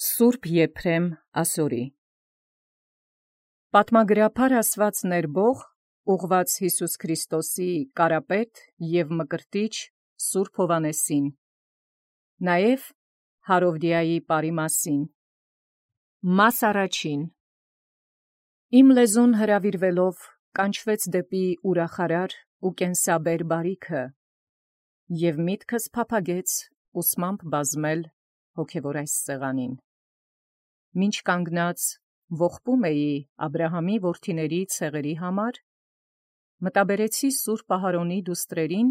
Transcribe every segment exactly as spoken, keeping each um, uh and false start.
Սուրբ Եփրեմ ասորի Պատմագրաբար ասված ներբող ուղված Յիսուս Քրիստոսի կարապետ և մկրտիչ Սուրբ Հովհաննեսին, նաև Հարովդիայի պարի մասին։ Մաս առաջին. Իմ լեզուն հրավիրվելով կանչվեց դեպի ուրախարար ու կենսաբեր բարիքը, և միտքս փափագեց ուսմամբ բազմել հոգևոր այս սեղանին։ Մինչ կանգնած ողբում էի Աբրահամի որդիների ցեղերի համար, մտաբերեցի Սուրբ Ահարոնի դուստրերին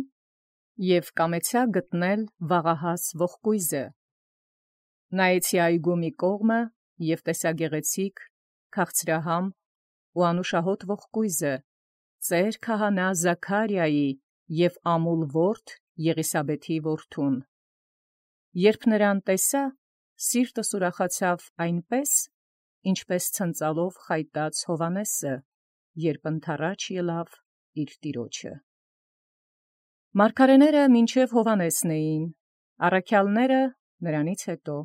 և կամեցա գտնել վաղահաս ողկույզը։ Նայեցի այգու մի կողմը և տեսա գեղեցիկ, քաղցրահամ ու անուշահոտ ողկույզը, ծեր քահանա Զաքարիայի և ամուլ որդի Եղիսաբեթի որդուն։ Երբ նրան տեսա, սիրտս ուրախացավ այնպես, ինչպես ցնծալով խայտած Հովհաննեսը, երբ ընդառաջ ելավ իր տիրոջը։ Մարգարեները մինչև Հովհաննեսն էին, առաքյալները նրանից հետո։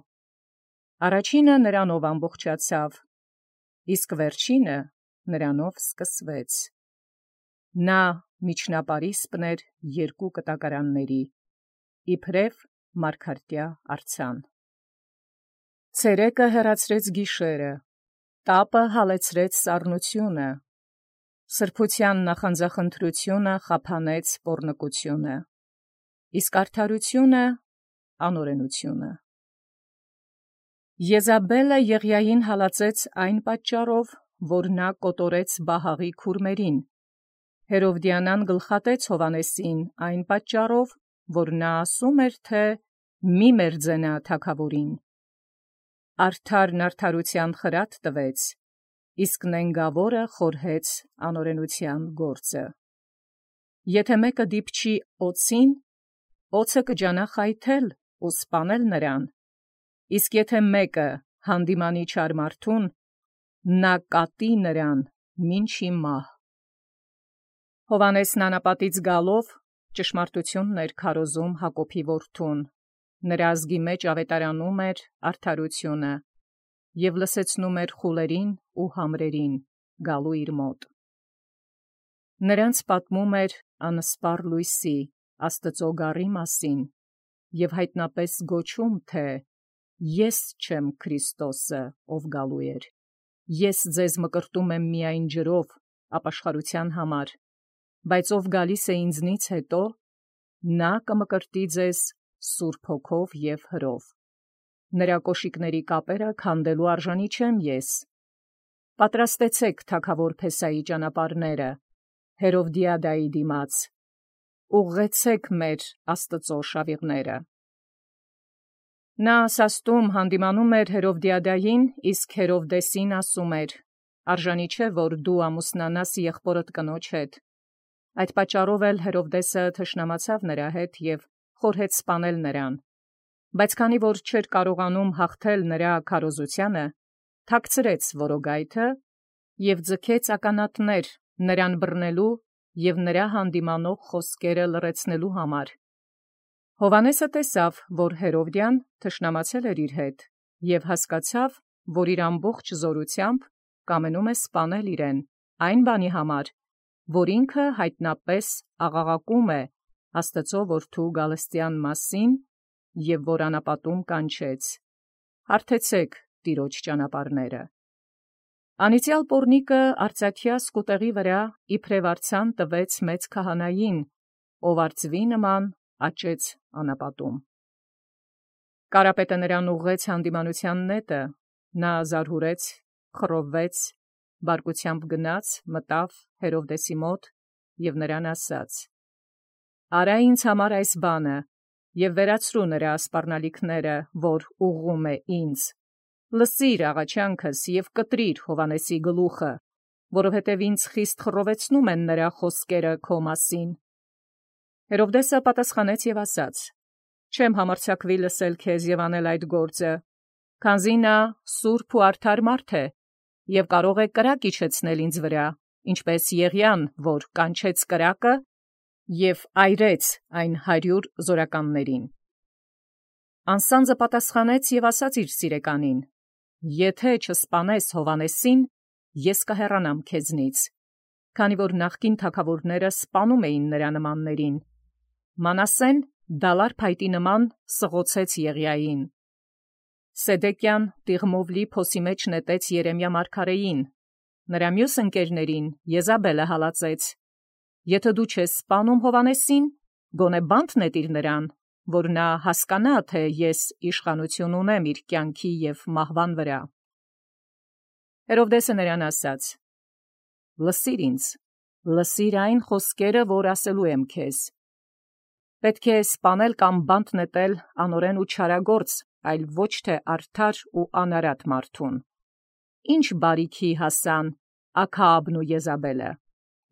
Առաջինը նրանով ամբողջացավ, իսկ վերջինը նրանով սկսվեց։ Նա միջնապարիսպն էր երկու կտակարանների, իբրև մարգարտյա արձան։ Ցերեկը հեռացրեց գիշերը, տապը հալեցրեց սառնությունը, սրբութեան նախանձախնդրությունը խափանեց պոռնկությունը, իսկ արդարությունը անօրենությունը։ Եզաբելը Եղիային հալածեց այն պատճառով, որ նա կոտորեց Բահաղի քուրմերին, Հերովդիանան գլխատեց Հովհաննեսին այն պատճառով, որ նա ասում էր, թե «Մի մերձենա թագաւորին»։ Արդարն արդարութեան խրատ տվեց, իսկ նենգաւորը խորհեց անօրենութեան գործը։ Եթէ մեկը դիպչի օծին, օծը կջանա խայթել ու սպանել նրան, իսկ եթէ մեկը հանդիմանի չար մարդուն, նա կատի նրան մինչի մահ։ Հովհաննեսն անապատից գալով ճշմարտութիւնն էր քարոզում Հակոբի որդուն, նրա ազգի մեջ աւետարանում էր արդարությունը և լսեցնում էր խուլերին ու համրերին գալու իր մոտ։ Նրանց պատմում էր անսպառ լույսի, Աստուծոյ գառի մասին և յայտնապէս գոչում, թէ «Ես չեմ Քրիստոսը, ով գալու էր, ես ձեզ մկրտում եմ միայն ջրով ապաշխարութեան համար, բայց ով գալիս է ինձնից հետո, նա կմկրտի ձեզ Սուրբ Հոգով և հրով. նրա կոշիկների կապերը քանդելու արժանի չեմ ես։ Պատրաստեցէք թագաւոր Փեսայի ճանապարհները, Հերովդիադայի դիմաց, ուղղեցէք մեր Աստուծոյ շավիղները»։ Նա սաստում հանդիմանում էր Հերովդիադային, իսկ Հերովդեսին ասում էր. «Արժանի չէ, որ դու ամուսնանաս եղբորդ կնոջ հետ»։ Այդ պատճառով էլ Հերովդեսը թշնամացավ նրա հետ և խորհեց սպանել նրան։ Բայց քանի որ չէր կարողանում հաղթել նրա քարոզութեանը, թաքցրեց որոգայթը և ձգեց ականատներ նրան բռնելու և նրա հանդիմանող խոսքերը լռեցնելու համար։ Հովհաննեսը տեսավ, որ Հերովդիան թշնամացել էր իր հետ, և հասկացավ, որ իր ամբողջ զորութեամբ կամենում է սպանել իրեն այն բանի համար, որ ինքը յայտնապէս աղաղակում է Աստուծոյ որդու գալստեան մասին, և որ անապատում կանչեց. «Հարթեցէք Տիրոջ ճանապարհները»։ Անիծյալ պոռնիկը արծաթեայ սկուտեղի վրա իբրև արձան տվեց մեծ քահանային, ով արծուի նման աճեց անապատում։ Կարապետը նրան ուղղեց հանդիմանութեան նետը, նա զարհուրեց, խռովվեց, բարկութեամբ գնաց, մտավ Հերովդեսի մոտ և նրան ասաց. «Արա ինձ համար այս բանը և վերացրու նրա սպառնալիքները, որ ուղղում է ինձ. լսիր աղաչանքս և կտրիր Հովհաննեսի գլուխը, որովհետև ինձ խիստ խռովեցնում են նրա խոսքերը քո մասին»։ Հերովդեսը պատասխանեց և ասաց. «Չեմ համարձակվի լսել քեզ և անել այդ գործը, քանզի նա սուրբ ու արդար մարդ է և կարող է կրակ իջեցնել ինձ վրա, ինչպես Եղիան, որ կանչեց կրակը և այրեց այն հարյուր զորականներին»։ Անսանձը պատասխանեց և ասաց իր սիրեկանին. Եթե չսպանես Հովանեսին, ես կհեռանամ քեզնից, քանի որ նախկին թագավորները սպանում էին նրա նմաններին։ Մանասեն դալար փայտի նման սղոցեց Եղիային։ Սեդեկյան տիղմովլի փոսի մեջ նետեց Երեմիա մարգարեին, նրա մյուս ընկերներին Եզաբելը հալածեց։ Եթե դու չես սպանում Հովանեսին, գոնե բանտ նետիր նրան, որ նա հասկանա, թե ես իշխանություն ունեմ իր կյանքի և մահվան վրա։ Հերովդեսը նրան ասաց. լսիր ինձ, լսիր այն խոսքերը, որ ասելու եմ քեզ։ Պետք է սպանել կամ բանտ նետել անօրեն ու չարագործ, այլ ոչ թե արդար ու անարատ մարդուն։ Ինչ բարիքի հասան Աքաաբն ու Եզաբելը,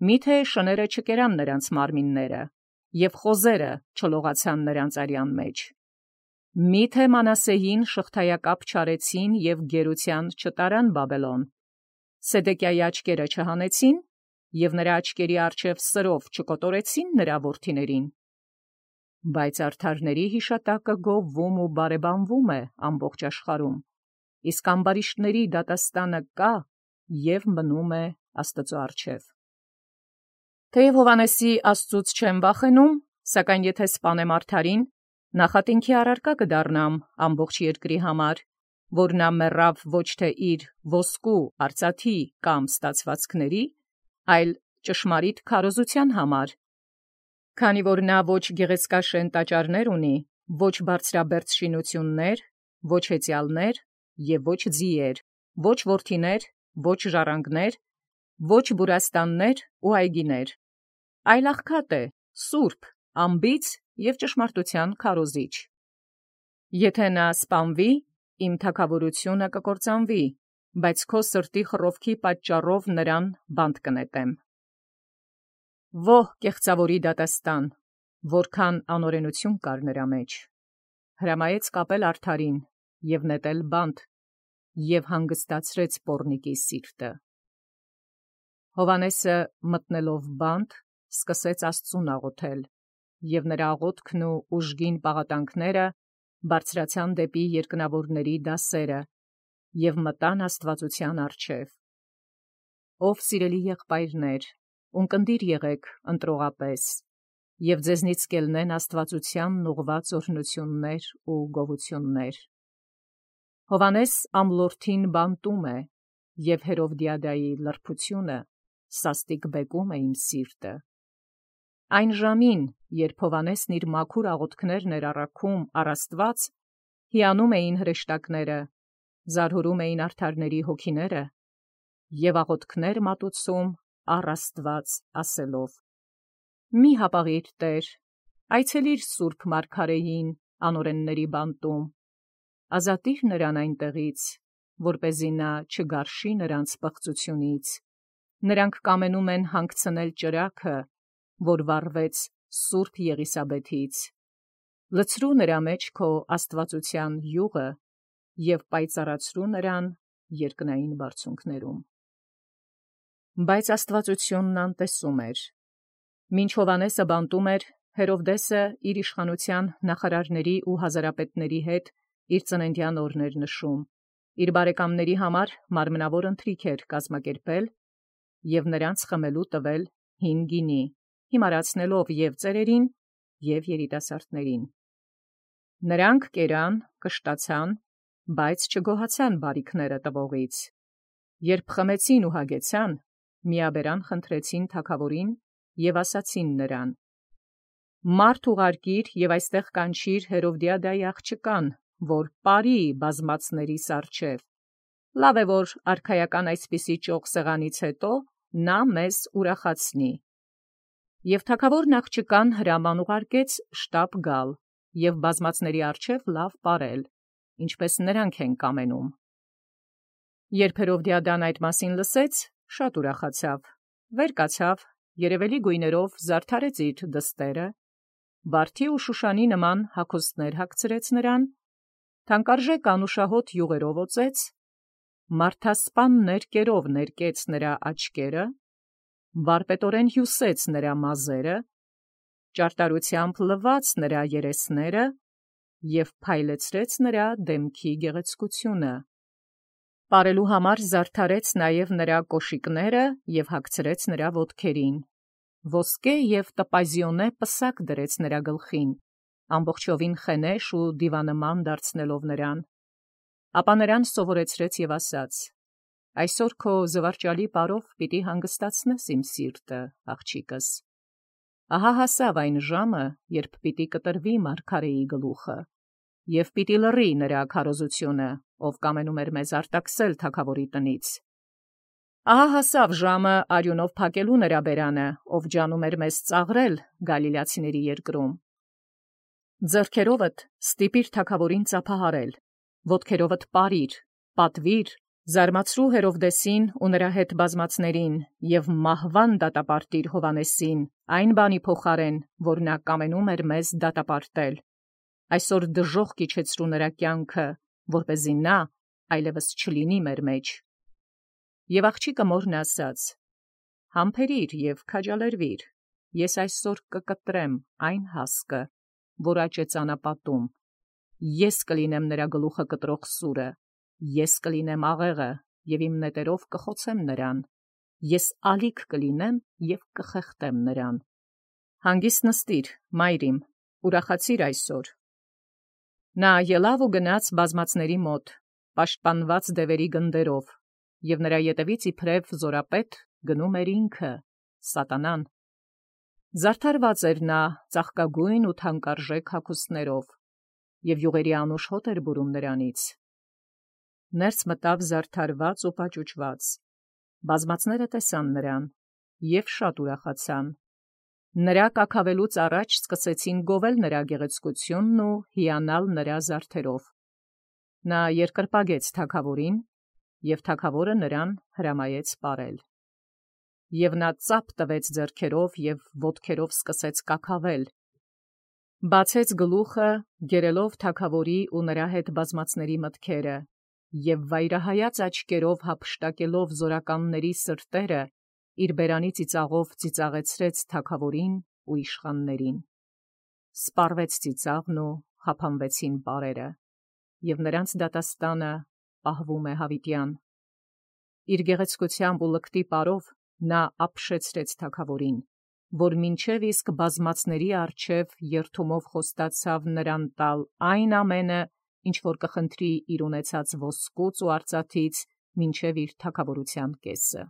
միթե շները չկերան նրանց մարմինները, և խոզերը չլողացան նրանց արյան մեջ։ Միթե Մանասեին շղթայակապ չարեցին և գերության չտարան Բաբելոն։ Սեդեկիայի աչքերը չհանեցին, և նրա աչքերի առջև սրով չկոտորեցին նրա որդիներին։ Բայց արդարների հիշատակը գովվում ու բարեբանվում է ամբողջ աշխարհում, իսկ ամբարիշտների դատաստանը կա և մնում է Աստծո առջև։ Թեև Հովանեսի Աստծուց չեմ վախենում, սակայն եթե սպանեմ արդարին, նախատինքի առարկա կդառնամ ամբողջ երկրի համար, որ նա մեռավ ոչ թե իր ոսկու արծաթի կամ ստացվածքների, այլ ճշմարիտ քարոզության համար, քանի որ նա ոչ գեղեցկաշեն տաճարներ ունի, ոչ բարձրաբերձ շինություններ, ոչ հեծյալներ և ոչ ձիեր, ոչ որդիներ, ոչ ժառանգներ, ոչ բուրաստաններ ու այգիներ, այլ աղքատ է, սուրբ, անբիծ և ճշմարտության քարոզիչ։ Եթե նա սպանվի, իմ թագավորությունը կկործանվի, բայց քո սրտի խռովքի պատճառով նրան բանտ կնետեմ։ Ո՛հ կեղծավորի դատաստան, որքան անօրենություն կար նրա մեջ։ Հրամայեց կապել արդարին և նետել բանտ, և հանգստացրեց պոռնիկի սիրտը։ Հովանեսը մտնելով բանտ, սկսեց Աստծուն աղոթել, և նրա աղոթքն ու ուժգին պաղատանքները բարձրացան դեպի երկնավորների դասերը և մտան աստվածության առջև։ Ով սիրելի եղբայրներ, ունկնդիր եղեք ընտրողապես, և ձեզնից կելնեն աստվածությանն ուղղված օրհնություններ ու գովություններ։ Հովանես ամլորթին բանտում է, և Հերովդիադայի լրբությունը սաստիկ բեկում է իմ սիրտը։ Այն ժամին, երբ Հովանեսն իր մաքուր աղոթքներն էր առաքում առ Աստված, հիանում էին հրեշտակները, զարհուրում էին արդարների հոգիները և աղոթքներ մատուցում առ Աստված ասելով. «Մի հապաղիր, Տեր, այցելիր սուրբ մարգարեին անօրենների բանտում, ազատիր նրան այնտեղից, որպեսզի նա չգարշի նրանց պղծությունից։ Նրանք կամենում են հանգցնել ճրագը, որ վառվեց սուրբ Եղիսաբեթից։ Լցրու նրա մեջ քո աստվածության յուղը և պայծառացրու նրան երկնային բարձունքներում»։ Բայց աստվածությունն անտեսում էր։ Մինչ Հովանեսը բանտում էր, Հերովդեսը իր իշխանության նախարարների ու հազարապետների հետ իր ծննդյան օրն էր նշում, իր բարեկամների համար մարմնավոր ընթրիք էր կազմակերպել և նրանց խմելու տվել հին գինի, հիմարացնելով և ծերերին, և երիտասարդներին։ Նրանք կերան, կշտացան, բայց չգոհացան բարիքները տվողից։ Երբ խմեցին ու հագեցան, միաբերան խնդրեցին թագավորին և ասացին նրան. «Մարդ ուղարկիր և այստեղ կանչիր Հերովդիադայի աղջկան, որ պարի բազմացներիս առջև. լավ է, որ արքայական այսպիսի ճոխ սեղանից հետո նա մեզ ուրախացնի»։ Եվ թագավորն աղջկան հրաման ուղարկեց շտապ գալ և բազմացների առջև լավ պարել, ինչպես նրանք են կամենում։ Երբ Հերովդիադան այդ մասին լսեց, շատ ուրախացավ, վեր կացավ, երևելի գույներով զարդարեց իր դստերը, վարդի ու շուշանի նման հագուստներ հագցրեց նրան, թանկարժեք անուշահոտ յուղերով օծեց, մարդասպան ներկերով ներկեց նրա աչքերը, վարպետորեն հյուսեց նրա մազերը, ճարտարությամբ լվաց նրա երեսները և փայլեցրեց նրա դեմքի գեղեցկությունը։ Պարելու համար զարդարեց նաև նրա կոշիկները և հագցրեց նրա ոտքերին, ոսկե և տպազիոնե պսակ դրեց նրա գլխին, ամբողջովին խենեշ ու դիվանման դարձնելով նրան, ապա նրան սովորեցրեց և ասաց. «Այսօր քո զվարճալի պարով պիտի հանգստացնես իմ սիրտը, աղջիկս։ Ահա հասավ այն ժամը, երբ պիտի կտրվի մարգարեի գլուխը, և պիտի լռի նրա քարոզությունը, ով կամենում էր մեզ արտաքսել թագավորի տնից։ Ահա հասավ ժամը արյունով փակելու նրա բերանը, ով ջանում էր մեզ ծաղրել գալիլացիների երկրում։ Ձեռքերովդ ստիպիր թագավորին ծափահարել, ոտքերովդ պարիր, պատվիր, զարմացրու Հերովդեսին ու նրա հետ բազմացներին և մահվան դատապարտիր Հովհաննեսին, այն բանի փոխարեն, որ նա կամենում էր մեզ դատապարտել։ Այսօր դժոխք իջեցրու նրա կյանքը, որպեսզի նա այլևս չլինի մեր մեջ»։ Եվ աղջիկը մորն ասաց. «Համբերիր և քաջալերվիր, ես այսօր կկտրեմ այն հասկը, որ աճ է ծանապատում, ես կլինեմ նրա գլուխը կտրող սուրը, ես կլինեմ աղեղը և իմ նետերով կխոցեմ նրան, ես ալիք կլինեմ և կխեղդեմ նրան։ Հանգիստ նստիր, մայր իմ, ուրախացիր այսօր»։ Նա ելավ ու գնաց բազմացների մոտ, պաշտպանված դևերի գնդերով, և նրա ետևից իբրև զորապետ գնում էր ինքը, Սատանան։ Զարդարված էր նա ծաղկագույն ու թանկարժեք հագուստներով, և յուղերի անուշ հոտ էր բուրում նրանից։ Ներս մտավ զարդարված ու պաճուճված, բազմացները տեսան նրան և շատ ուրախացան։ Նրա կաքավելուց առաջ սկսեցին գովել նրա գեղեցկությունն ու հիանալ նրա զարդերով։ Նա երկրպագեց թագավորին, և թագավորը նրան հրամայեց պարել։ Եվ նա ծափ տվեց ձեռքերով և ոտքերով սկսեց կաքավել, բացեց գլուխը, գերելով թագավորի ու նրա հետ բազմացների մտքերը, և վայրահայաց աչքերով հափշտակելով զորականների սրտերը, իր բերանի ծիծաղով ծիծաղեցրեց թագավորին ու իշխաններին։ Սպառվեց ծիծաղն ու խափանվեցին պարերը, և նրանց դատաստանը պահվում է հավիտյան։ Իր գեղեցկությամբ ու լկտի պարով նա ապշեցրեց թագավորին, որ մինչև իսկ բազմացների առջև երդումով խոստացավ նրան տալ այն ամենը, ինչ որ կխնդրի իր ունեցած ոսկուց ու արծաթից մինչև իր թագավորության կեսը։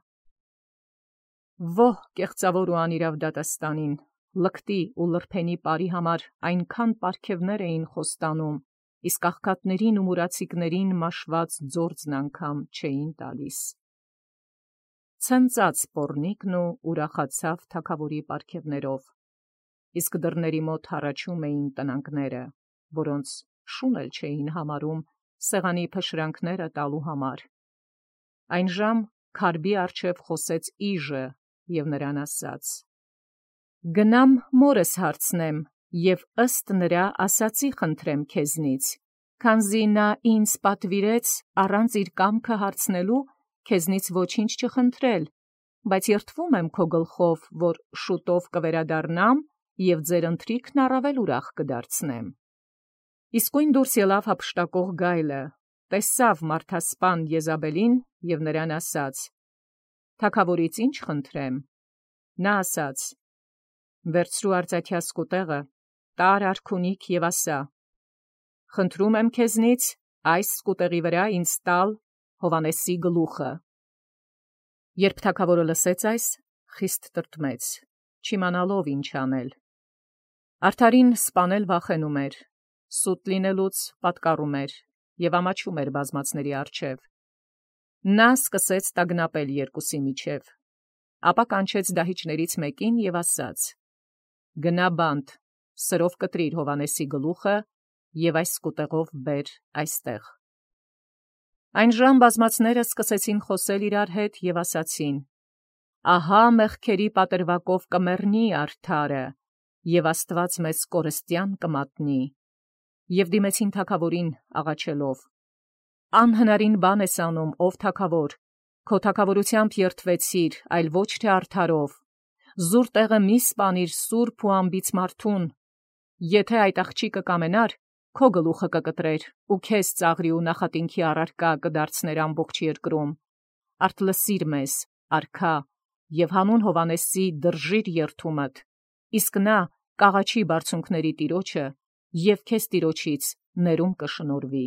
Ո՛հ կեղծավոր ու անիրավ դատաստանին, լկտի ու լրբենի պարի համար այնքան պարգևներ էին խոստանում, իսկ աղքատներին ու մուրացիկներին մաշված ձորձն անգամ չէին տալիս։ Ցնծաց պոռնիկն ու ուրախացավ թագավորի պարգևներով, իսկ դռների մոտ հառաչում էին տնանկները, որոնց շուն էլ չէին համարում սեղանի փշրանքները տալու համար։ Այն ժամ քարբի առջև խոսեց իժը և նրան ասաց. «Գնամ մորս հարցնեմ և ըստ նրա ասացի խնդրեմ քեզնից, քանզի նա ինձ պատվիրեց առանց իր կամքը հարցնելու քեզնից ոչինչ չխնդրել, բայց երդվում եմ քո գլխով, որ շուտով կվերադառնամ և ձեր ընթրիքն առավել ուրախ կդարձնեմ»։ Իսկույն դուրս ելավ հափշտակող գայլը, տեսավ մարդասպան Եզաբելին և նրան ասաց. «Թագավորից ի՞նչ խնդրեմ»։ Նա ասաց. «Վերցրու արծաթյա սկուտեղը, տար արքունիք և ասա. խնդրում եմ քեզնից այս սկուտեղի վրա ինձ տալ Հովհաննեսի գլուխը»։ Երբ թագավորը լսեց այս, խիստ տրտմեց, չիմանալով ինչ անել։ Արդարին սպանել վախենում էր, սուտ լինելուց պատկառում էր և ամաչում էր բազմացների առջև։ Նա սկսեց տագնապել երկուսի միջև, ապա կանչեց դահիճներից մեկին և ասաց. «Գնա բանտ, սրով կտրիր Հովհաննեսի գլուխը և այս սկուտեղով բեր այստեղ»։ Այն ժամ բազմացները սկսեցին խոսել իրար հետ և ասացին. «Ահա մեղքերի պատրվակով կմեռնի արդարը, և Աստված մեզ կորստյան կմատնի»։ Եվ դիմեցին թագավորին աղաչելով. «Անհնարին բան ես անում, ով թագավոր, քո թագավորությամբ երդվեցիր, այլ ոչ թե արդարով։ Զուր տեղը մի սպանիր սուրբ ու անբիծ մարդուն։ Եթե այդ աղջիկը կամենար, քո գլուխը կկտրեր, ու քեզ ծաղրի ու նախատինքի առարկա կդարձներ ամբողջ երկրում։ Արդ լսիր մեզ, արքա, եւ հանուն Հովանեսի դրժիր երթումդ, իսկ նա կաղաչի բարձունքների տիրոջը, եւ քեզ տիրոջից ներում կշնորհվի։